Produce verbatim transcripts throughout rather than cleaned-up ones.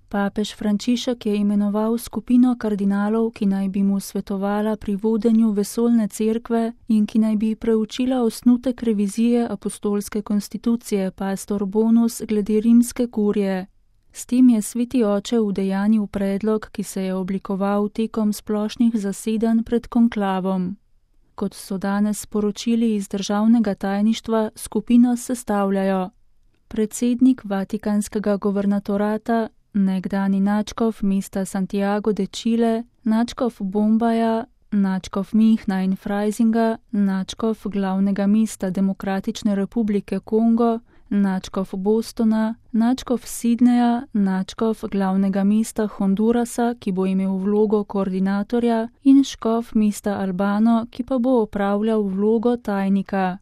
Papež Frančišek je imenoval skupino kardinalov, ki naj bi mu svetovala pri vodenju vesoljne cerkve in ki naj bi preučila osnutek revizije apostolske konstitucije Pastor Bonus glede rimske kurije. S tem je sveti oče udejanil predlog, ki se je oblikoval tekom splošnih zasedanj pred konklavom. Kot so danes sporočili iz državnega tajništva, skupino sestavljajo predsednik Vatikanskega guvernatorata, nekdani nadškof mesta Santiago de Chile, nadškof Bombaja, nadškof Minhna in Freisinga, nadškof glavnega mesta Demokratične republike Kongo, nadškof Bostona, nadškof Sidneja, nadškof glavnega mesta Hondurasa, ki bo imel vlogo koordinatorja, in škof mesta Albano, ki pa bo opravljal vlogo tajnika.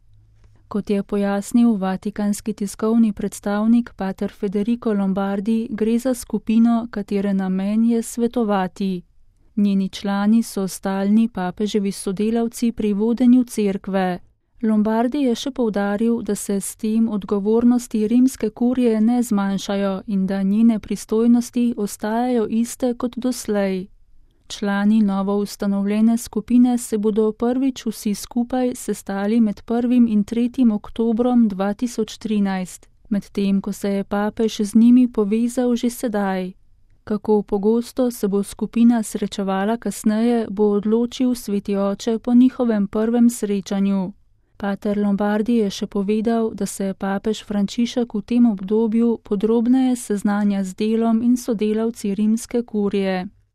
Kot je pojasnil vatikanski tiskovni predstavnik pater Federico Lombardi, gre za skupino, katere namen je svetovati. Njeni člani so stalni papeževi sodelavci pri vodenju cerkve. Lombardi je še poudaril, da se s tem odgovornosti rimske kurije ne zmanjšajo in da njene pristojnosti ostajajo iste kot doslej. Člani novo ustanovljene skupine se bodo prvič vsi skupaj sestali med prvim in tretjim oktobrom dva tisoč trinajst, medtem ko se je papež z njimi povezal že sedaj. Kako pogosto se bo skupina srečevala kasneje, bo odločil sveti oče po njihovem prvem srečanju. Pater Lombardi je še povedal, da se papež Frančišek v tem obdobju podrobneje seznanja z delom in sodelavci rimske kurije.